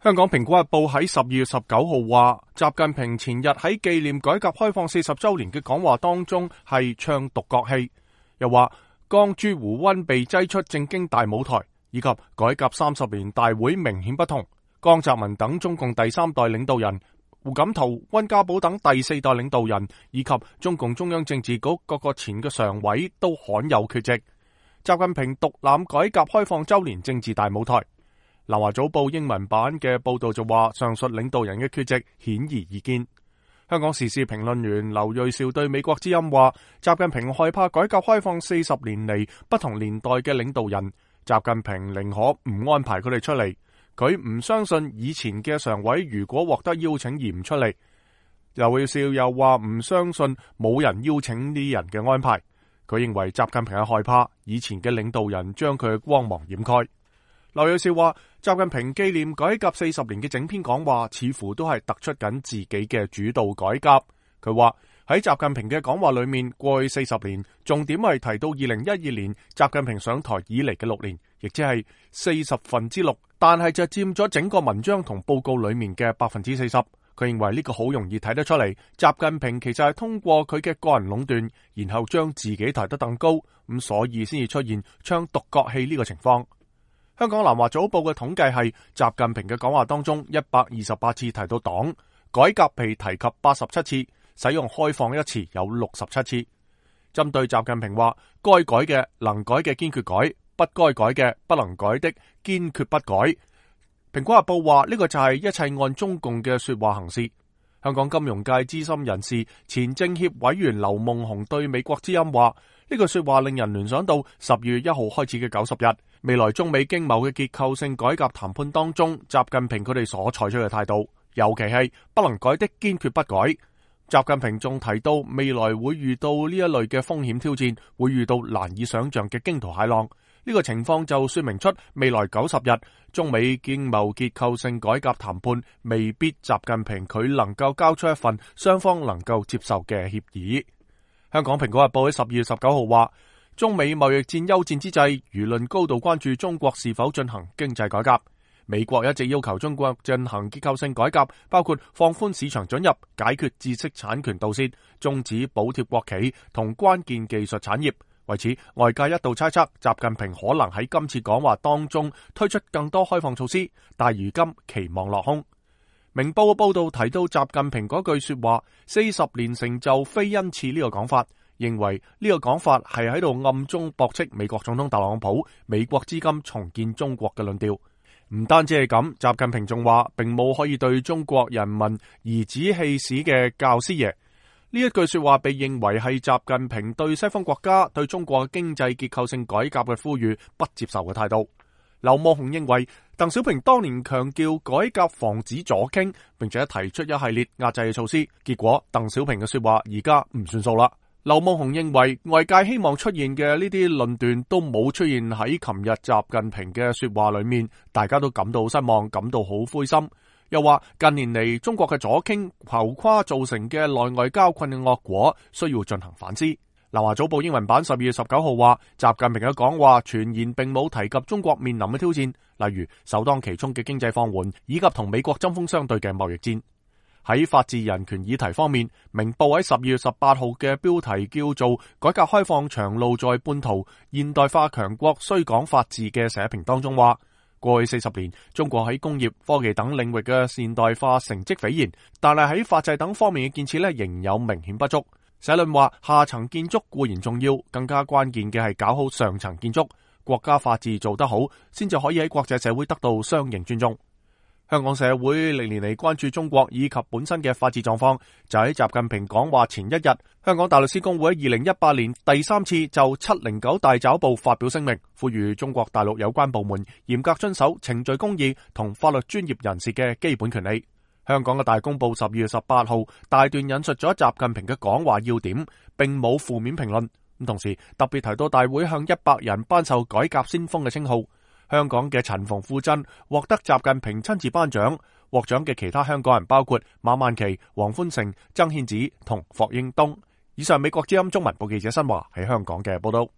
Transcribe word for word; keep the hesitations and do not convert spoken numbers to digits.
香港蘋果日報喺十二月十九號話，習近平前日喺紀念改革開放四十周年嘅講話當中係唱獨角戲，又話江朱胡溫被擠出政經大舞台，以及改革三十年大會明顯不同。江澤民等中共第三代領導人，胡錦濤、溫家寶等第四代領導人，以及中共中央政治局各個前嘅常委都罕有缺席。習近平獨攬改革開放周年政治大舞台。南華早報英文版嘅報道就話，上述領導人嘅缺席顯而易見。香港時事評論員劉銳紹對美國之音話，習近平害怕改革開放四十年嚟不同年代嘅領導人，習近平寧可唔安排佢哋出嚟。佢唔相信以前嘅常委如果獲得邀請而唔出嚟。劉銳紹又話唔相信冇人邀請呢啲人嘅安排。佢認為習近平係害怕以前嘅領導人將佢嘅光芒掩蓋。劉銳紹話，習近平紀念改革四十年嘅整篇講話似乎都係突出緊自己嘅主導改革。佢話喺習近平嘅講話裏面，過去四十年重點係提到二零一二年習近平上台以嚟嘅六年，亦即係四十分之六，但係就佔咗整個文章同報告裏面嘅百分之四十。佢認為呢個好容易睇得出嚟，習近平其實係通過佢嘅個人壟斷，然後將自己抬得更高，咁所以先至出現唱獨角戲呢個情況。香港南華早報嘅統計係，習近平嘅講話當中一百二十八次提到黨，改革被提及八十七次，使用開放一詞有六十七次。針對習近平話該改嘅能改嘅堅決改，不該改嘅不能改的堅決不改。蘋果日報話呢個就係一切按中共嘅說話行事。香港金融界資深人士前政協委員劉夢熊對美國之音話，呢句說話令人聯想到十月一號開始嘅九十日，未來中美經貿嘅結構性改革談判當中，習近平佢哋所採取嘅態度，尤其係不能改的堅決不改。習近平仲提到未來會遇到呢一類嘅風險挑戰，會遇到難以想象嘅驚濤駭浪。呢個情況就說明出未來九十日中美經貿結構性改革談判未必習近平佢能夠交出一份雙方能夠接受嘅協議。香港蘋果日報喺十二月十九號話，中美貿易戰休戰之際，輿論高度關注中國是否進行經濟改革。美國一直要求中國進行結構性改革，包括放寬市場准入、解決知識產權盜竊、終止補貼國企同關鍵技術產業。為此，外界一度猜測習近平可能喺今次講話當中推出更多開放措施，但如今期望落空。明報嘅報道提到習近平嗰句說話四十年成就非恩賜呢個講法，認為呢個講法係喺度暗中駁斥美國總統特朗普美國資金重建中國嘅論調。唔單止係咁，習近平仲話並冇可以對中國人民頤指氣使嘅教師爺。呢一句說話被認為係習近平對西方國家對中國經濟結構性改革嘅呼籲不接受嘅態度。劉夢熊認為鄧小平當年強調改革防止左傾，並且提出一系列壓制嘅措施，結果鄧小平嘅說話而家唔算數啦。劉夢熊認為外界希望出現嘅呢啲論斷都冇出現喺琴日習近平嘅說話裏面，大家都感到失望，感到好灰心。又話近年嚟中國嘅左傾浮誇造成嘅內外交困嘅惡果需要進行反思。南華早報英文版十二月十九號話，習近平嘅講話全言並冇提及中國面臨嘅挑戰，例如首當其衝嘅經濟放緩，以及同美國針鋒相對嘅貿易戰。喺法治人權議題方面，明報喺十二月十八號嘅標題叫做改革開放長路在半途，現代化強國需講法治嘅社評當中話，過去四十年，中國喺工業、科技等領域嘅現代化成績斐然，但係喺法制等方面嘅建設咧，仍有明顯不足。社論話，下層建築固然重要，更加關鍵嘅係搞好上層建築，國家法治做得好，先至可以喺國際社會得到相應尊重。香港社會歷年嚟關注中國以及本身嘅法治狀況，就喺習近平講話前一日，香港大律師公會喺二零一八年第三次就七零九大抓捕發表聲明，呼籲中國大陸有關部門嚴格遵守程序公義同法律專業人士嘅基本權利。香港嘅大公報十二月十八號大段引述咗習近平嘅講話要點，並冇負面評論。咁同時特別提到大會向一百人頒授改革先鋒嘅稱號。香港嘅陳馮富珍獲得習近平親自頒獎，獲獎嘅其他香港人包括馬萬祺、黃歡成、曾憲梓同霍英東。以上美國之音中文部記者新華喺香港嘅報道。